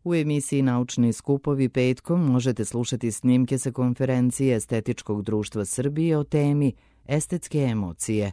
U emisiji Naučni skupovi petkom možete slušati snimke sa konferencije Estetičkog društva Srbije o temi estetske emocije,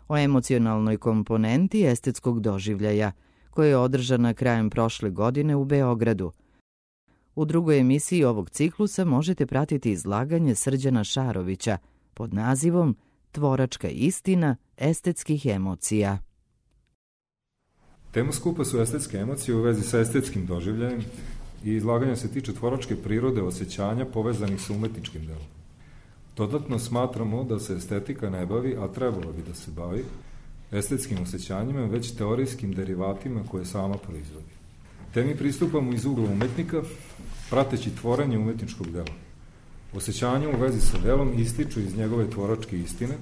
o emocionalnoj komponenti estetskog doživljaja, koja je održana krajem prošle godine u Beogradu. U drugoj emisiji ovog ciklusa možete pratiti izlaganje Srđana Šarovića pod nazivom Tvoračka istina estetskih emocija. Tema skupa su estetske emocije u vezi sa estetskim doživljajem i izlaganje se tiče tvoračke prirode osjećanja povezanih sa umetničkim delom. Dodatno smatramo da se estetika ne bavi, a trebalo bi da se bavi, estetskim osjećanjima, već teorijskim derivatima koje sama proizvodi. Temi pristupamo iz ugla umetnika, prateći tvorenje umetničkog dela. Osjećanja u vezi sa delom ističu iz njegove tvoračke istine,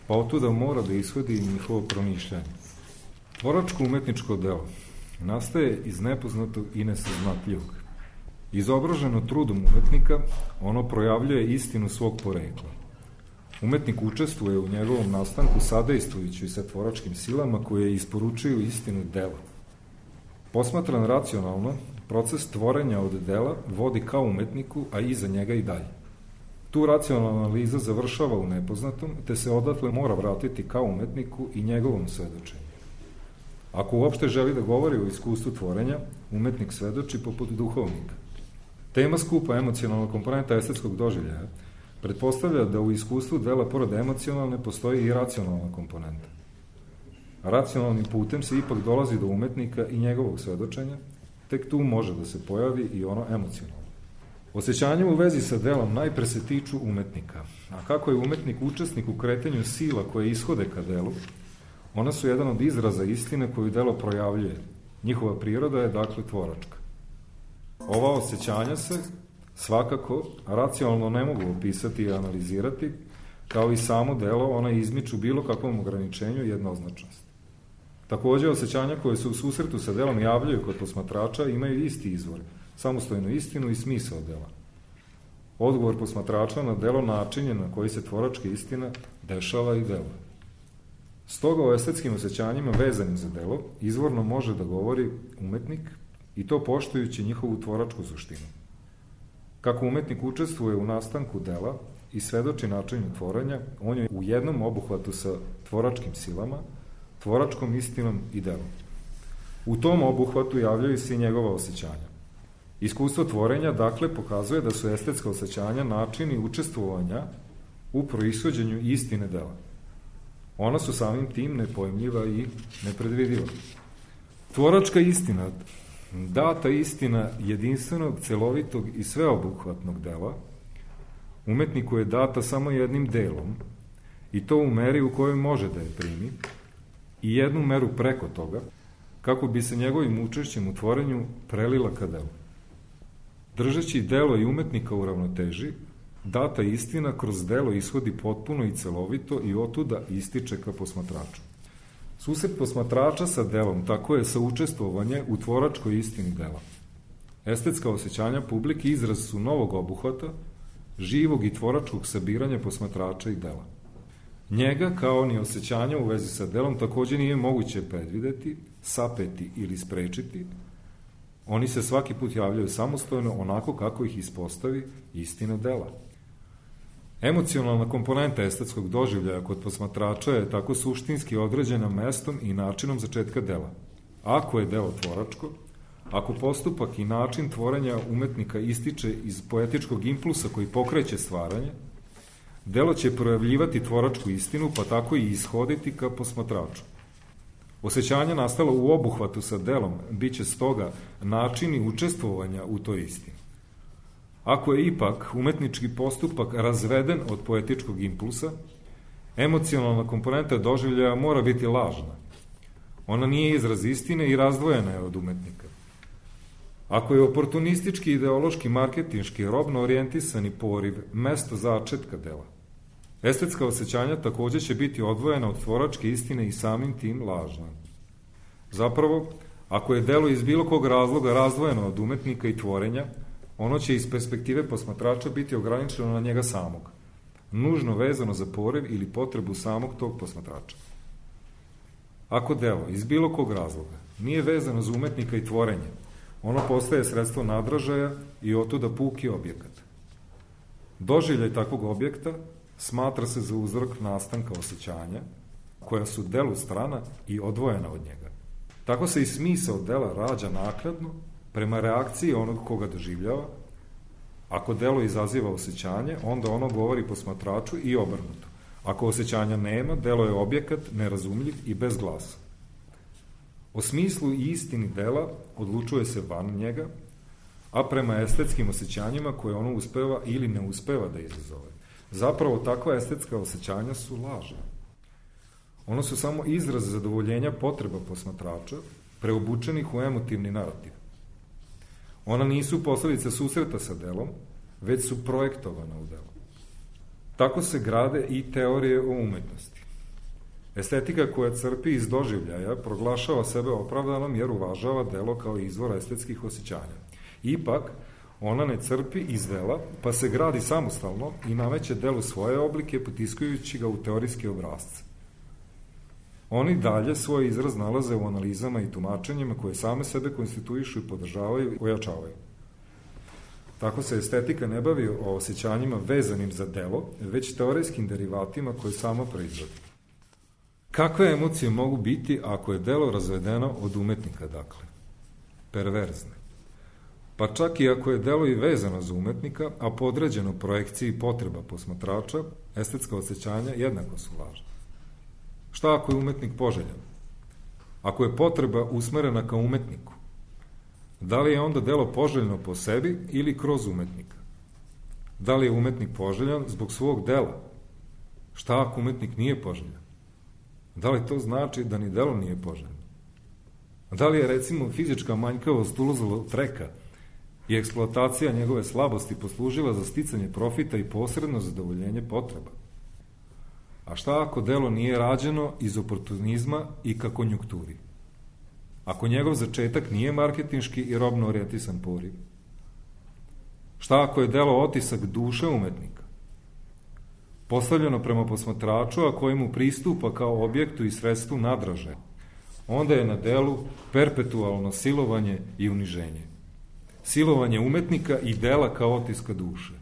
pa otuda mora da ishodi i njihovo promišljanje. Tvoračko umetničko delo nastaje iz nepoznatog i nesaznatljivog. Izobraženo trudom umetnika, ono projavljuje istinu svog porekla. Umetnik učestvuje u njegovom nastanku sadejstvujući sa tvoračkim silama koje isporučuju istinu dela. Posmatran racionalno, proces tvorenja od dela vodi ka umetniku, a iza njega i dalje. Tu racionalna analiza završava u nepoznatom, te se odatle mora vratiti ka umetniku i njegovom svedočenju. Ako uopšte želi da govori o iskustvu tvorenja, umetnik svedoči poput duhovnika. Tema skupa emocionalna komponenta estetskog doživljaja pretpostavlja da u iskustvu dela pored emocionalne postoji i racionalna komponenta. Racionalnim putem se ipak dolazi do umetnika i njegovog svedočenja, tek tu može da se pojavi i ono emocionalno. Osjećanje u vezi sa delom najpre se tiču umetnika, a kako je umetnik učesnik u kretanju sila koje ishode ka delu, ona su jedan od izraza istine koju delo projavljuje. Njihova priroda je dakle tvoračka. Ova osjećanja se svakako racionalno ne mogu opisati i analizirati, kao i samo delo, ona izmiču bilo kakvom ograničenju i jednoznačnosti. Takođe, osjećanja koje se u susretu sa delom javljaju kod posmatrača imaju isti izvor, samostojnu istinu i smisao dela. Odgovor posmatrača na delo način je na koji se tvoračka istina dešava i deluje. Stoga o estetskim osjećanjima vezanim za delo izvorno može da govori umetnik i to poštujući njihovu tvoračku suštinu. Kako umetnik učestvuje u nastanku dela i svedoči načinu tvorenja, on je u jednom obuhvatu sa tvoračkim silama, tvoračkom istinom i delom. U tom obuhvatu javljaju se i njegova osjećanja. Iskustvo tvorenja, dakle, pokazuje da su estetska osjećanja načini učestvovanja u proishođenju istine dela. Ona su samim tim nepojmljiva i nepredvidiva. Tvoračka istina, data istina jedinstvenog, celovitog i sveobuhvatnog dela, umetniku je data samo jednim delom, i to u meri u kojoj može da je primi, i jednu meru preko toga, kako bi se njegovim učešćem u tvorenju prelila ka delu. Držeći delo i umetnika u ravnoteži, data istina kroz delo ishodi potpuno i celovito i otuda ističe ka posmatraču. Susret posmatrača sa delom tako je saučestvovanje u tvoračkoj istini dela. Estetska osjećanja publike izraz su novog obuhvata, živog i tvoračkog sabiranja posmatrača i dela. Njega, kao ni osjećanja u vezi sa delom, takođe nije moguće predvideti, sapeti ili sprečiti. Oni se svaki put javljaju samostojno onako kako ih ispostavi istina dela. Emocionalna komponenta estetskog doživljaja kod posmatrača je tako suštinski određena mestom i načinom začetka dela. Ako je delo tvoračko, ako postupak i način tvorenja umetnika ističe iz poetičkog impulsa koji pokreće stvaranje, delo će projavljivati tvoračku istinu, pa tako i ishoditi ka posmatraču. Osjećanje nastalo u obuhvatu sa delom biće stoga načini učestvovanja u toj istini. Ako je ipak umetnički postupak razveden od poetičkog impulsa, emocionalna komponenta doživljaja mora biti lažna. Ona nije izraz istine i razdvojena je od umetnika. Ako je oportunistički, ideološki, marketinški, robno orijentisani poriv mesto začetka dela, estetska osjećanja takođe će biti odvojena od tvoračke istine i samim tim lažna. Zapravo, ako je delo iz bilo kog razloga razdvojeno od umetnika i tvorenja, ono će iz perspektive posmatrača biti ograničeno na njega samog, nužno vezano za poriv ili potrebu samog tog posmatrača. Ako delo iz bilo kog razloga nije vezano za umetnika i tvorenje, ono postaje sredstvo nadražaja i otuda puki objekat. Doživljaj takvog objekta smatra se za uzrok nastanka osjećanja, koja su delu strana i odvojena od njega. Tako se i smisao dela rađa naknadno prema reakciji onog koga doživljava. Ako delo izaziva osjećanje, onda ono govori posmatraču i obrnuto. Ako osjećanja nema, delo je objekat, nerazumljiv i bez glasa. O smislu i istini dela odlučuje se van njega, a prema estetskim osjećanjima koje ono uspeva ili ne uspeva da izazove. Zapravo, takva estetska osjećanja su lažna. Ono su samo izraz zadovoljenja potreba posmatrača, preobučenih u emotivni narativ. Ona nisu posledica susreta sa delom, već su projektovana u delu. Tako se grade i teorije o umetnosti. Estetika koja crpi iz doživljaja proglašava sebe opravdanom jer uvažava delo kao izvor estetskih osjećanja. Ipak, ona ne crpi iz dela, pa se gradi samostalno i nameće delu svoje oblike, potiskujući ga u teorijske obrazce. Oni dalje svoj izraz nalaze u analizama i tumačenjima koje same sebe konstituišu i podržavaju i ojačavaju. Tako se estetika ne bavi o osjećanjima vezanim za delo, već teorijskim derivatima koje samo proizvodi. Kakve emocije mogu biti ako je delo razvedeno od umetnika, dakle? Perverzne. Pa čak i ako je delo i vezano za umetnika, a podređeno projekciji potreba posmatrača, estetska osjećanja jednako su lažna. Šta ako je umetnik poželjan? Ako je potreba usmerena ka umetniku, da li je onda delo poželjno po sebi ili kroz umetnika? Da li je umetnik poželjan zbog svog dela? Šta ako umetnik nije poželjan? Da li to znači da ni delo nije poželjno? Da li je, recimo, fizička manjkavost ulazala treka i eksploatacija njegove slabosti poslužila za sticanje profita i posredno zadovoljenje potreba? A šta ako delo nije rađeno iz oportunizma i ka konjunkturi? Ako njegov začetak nije marketinški i robno orijentisan poriv? Šta ako je delo otisak duše umetnika? Postavljeno prema posmatraču, a kojemu pristupa kao objektu i sredstvu nadraže, onda je na delu perpetualno silovanje i uniženje. Silovanje umetnika i dela kao otiska duše.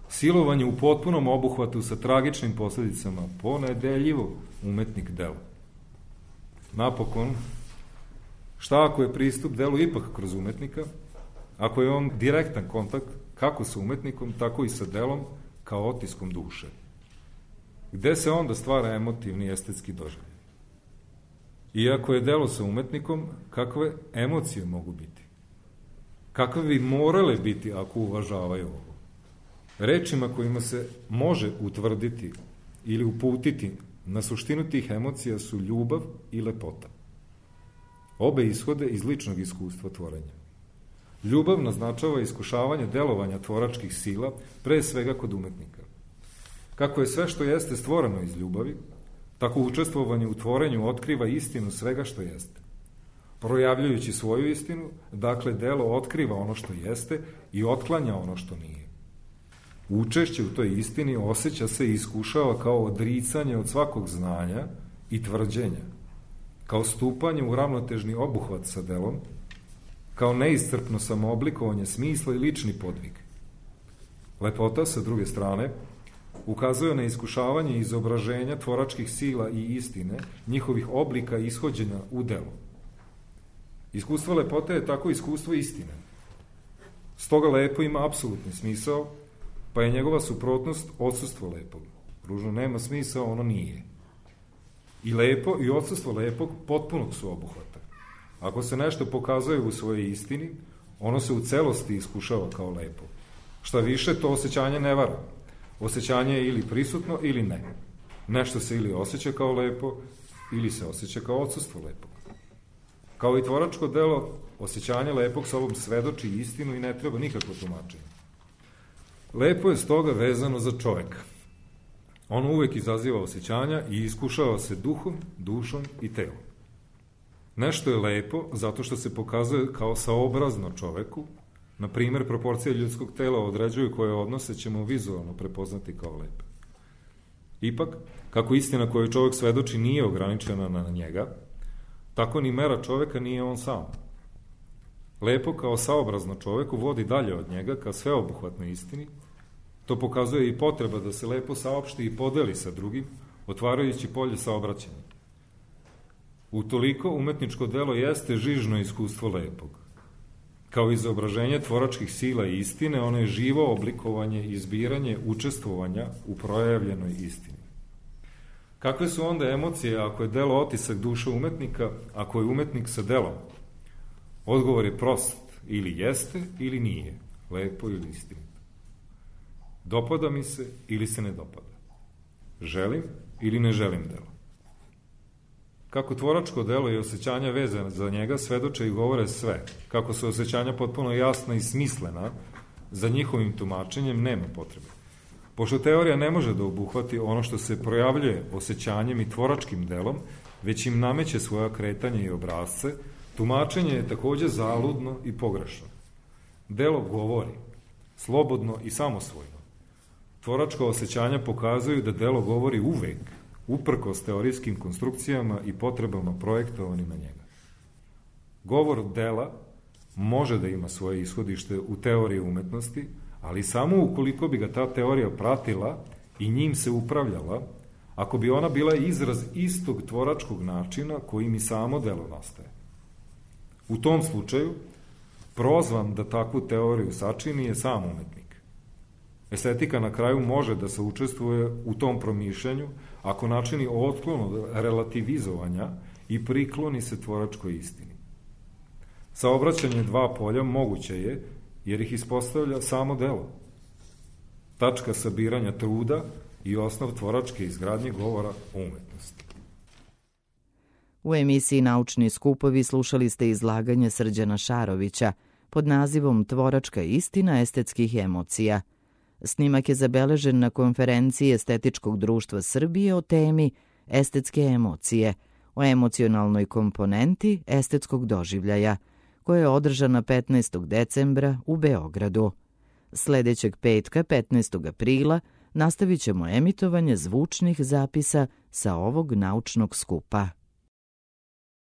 Silovanje u potpunom obuhvatu sa tragičnim posledicama, ponedeljivo umetnik dela. Napokon, šta ako je pristup delu ipak kroz umetnika, ako je on direktan kontakt kako sa umetnikom, tako i sa delom kao otiskom duše? Gde se onda stvara emotivni estetski doživljaj? Iako je delo sa umetnikom, kakve emocije mogu biti? Kakve bi morale biti ako uvažavaju ovo? Rečima kojima se može utvrditi ili uputiti na suštinu tih emocija su ljubav i lepota. Obe ishode iz ličnog iskustva tvorenja. Ljubav naznačava iskušavanje delovanja tvoračkih sila, pre svega kod umetnika. Kako je sve što jeste stvoreno iz ljubavi, tako učestvovanje u tvorenju otkriva istinu svega što jeste. Projavljujući svoju istinu, dakle, delo otkriva ono što jeste i otklanja ono što nije. Učešće u toj istini osjeća se i iskušava kao odricanje od svakog znanja i tvrđenja, kao stupanje u ravnotežni obuhvat sa delom, kao neiscrpno samooblikovanje smisla i lični podvig. Lepota, sa druge strane, ukazuje na iskušavanje i izobraženja tvoračkih sila i istine, njihovih oblika i ishođenja u delu. Iskustvo lepote je tako iskustvo istine. Stoga lepo ima apsolutni smisao, pa je njegova suprotnost odsustvo lepog. Ružno nema smisao, ono nije. I lepo i odsustvo lepog potpunog su obuhvata. Ako se nešto pokazuje u svojoj istini, ono se u celosti iskušava kao lepo. Šta više, to osjećanje ne vara. Osjećanje je ili prisutno ili ne. Nešto se ili osjeća kao lepo, ili se osjeća kao odsustvo lepog. Kao i tvoračko delo, osjećanje lepog sobom svedoči istinu i ne treba nikakvo tumačenje. Lepo je stoga vezano za čoveka. Ono uvek izaziva osjećanja i iskušava se duhom, dušom i telom. Nešto je lepo zato što se pokazuje kao saobrazno čoveku. Na primer, proporcije ljudskog tela određuju koje odnose ćemo vizualno prepoznati kao lepe. Ipak, kako istina koju čovek svedoči nije ograničena na njega, tako ni mera čoveka nije on sam. Lepo kao saobrazno čoveku vodi dalje od njega ka sveobuhvatnoj istini. To pokazuje i potreba da se lepo saopšti i podeli sa drugim, otvarajući polje saobraćanja. Utoliko umetničko delo jeste žižno iskustvo lepog. Kao izobraženje tvoračkih sila i istine, ono je živo oblikovanje i izbiranje učestvovanja u projavljenoj istini. Kakve su onda emocije ako je delo otisak duše umetnika, ako je umetnik sa delom? Odgovor je prost, ili jeste ili nije, lepo ili istinito. Dopada mi se ili se ne dopada. Želim ili ne želim delo. Kako tvoračko delo i osjećanja vezane za njega svedoče i govore sve, kako su osjećanja potpuno jasna i smislena, za njihovim tumačenjem nema potrebe. Pošto teorija ne može da obuhvati ono što se projavljuje osjećanjem i tvoračkim delom, već im nameće svoja kretanja i obrazce, tumačenje je takođe zaludno i pogrešno. Delo govori, slobodno i samosvojno. Tvoračka osjećanja pokazuju da delo govori uvek, uprkos teorijskim konstrukcijama i potrebama projektovanim na njega. Govor dela može da ima svoje ishodište u teoriji umetnosti, ali samo ukoliko bi ga ta teorija pratila i njim se upravljala, ako bi ona bila izraz istog tvoračkog načina kojim i samo delo nastaje. U tom slučaju, prozvan da takvu teoriju sačini je sam umetnik. Estetika na kraju može da se učestvuje u tom promišljanju ako načini otklon od relativizovanja i prikloni se tvoračkoj istini. Saobraćanje dva polja moguće je, jer ih ispostavlja samo delo. Tačka sabiranja truda i osnov tvoračke izgradnje govora o umetnosti. U emisiji Naučni skupovi slušali ste izlaganje Srđana Šarovića pod nazivom Tvoračka istina estetskih emocija. Snimak je zabeležen na konferenciji Estetičkog društva Srbije o temi Estetske emocije, o emocionalnoj komponenti estetskog doživljaja, koja je održana 15. decembra u Beogradu. Sledećeg petka, 15. aprila, nastavit ćemo emitovanje zvučnih zapisa sa ovog naučnog skupa.